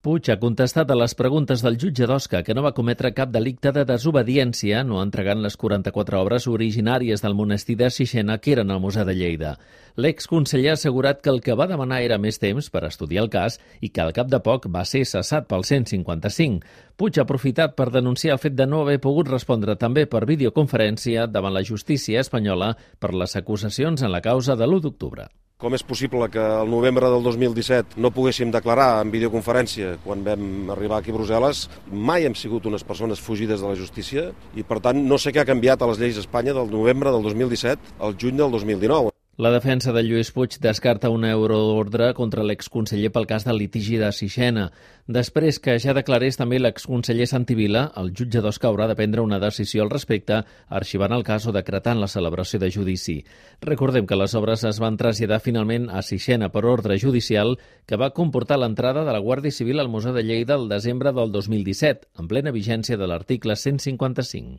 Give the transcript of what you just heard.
Puig ha contestat a les preguntes del jutge d'Osca que no va cometre cap delicte de desobediència no entregant les 44 obres originàries del monestir de Sixena que eren al Museu de Lleida. L'exconseller ha assegurat que el que va demanar era més temps per estudiar el cas i que al cap de poc va ser cessat pel 155. Puig ha aprofitat per denunciar el fet de no haver pogut respondre també per videoconferència davant la justícia espanyola per les acusacions en la causa de l'1 d'octubre. Com és possible que al novembre del 2017 no poguéssim declarar en videoconferència quan vam arribar aquí a Brussel·les? Mai hem sigut unes persones fugides de la justícia i, per tant, no sé què ha canviat a les lleis d'Espanya del novembre del 2017 al juny del 2019. La defensa de Lluís Puig descarta una euroordre contra l'exconseller pel cas del litigi de Sixena. Després que ja declarés també l'exconseller Santi Vila, el jutge d'Osca haurà de prendre una decisió al respecte, arxivant el cas o decretant la celebració de judici. Recordem que les obres es van traslladar finalment a Sixena per ordre judicial que va comportar l'entrada de la Guàrdia Civil al Museu de Lleida el desembre del 2017, en plena vigència de l'article 155.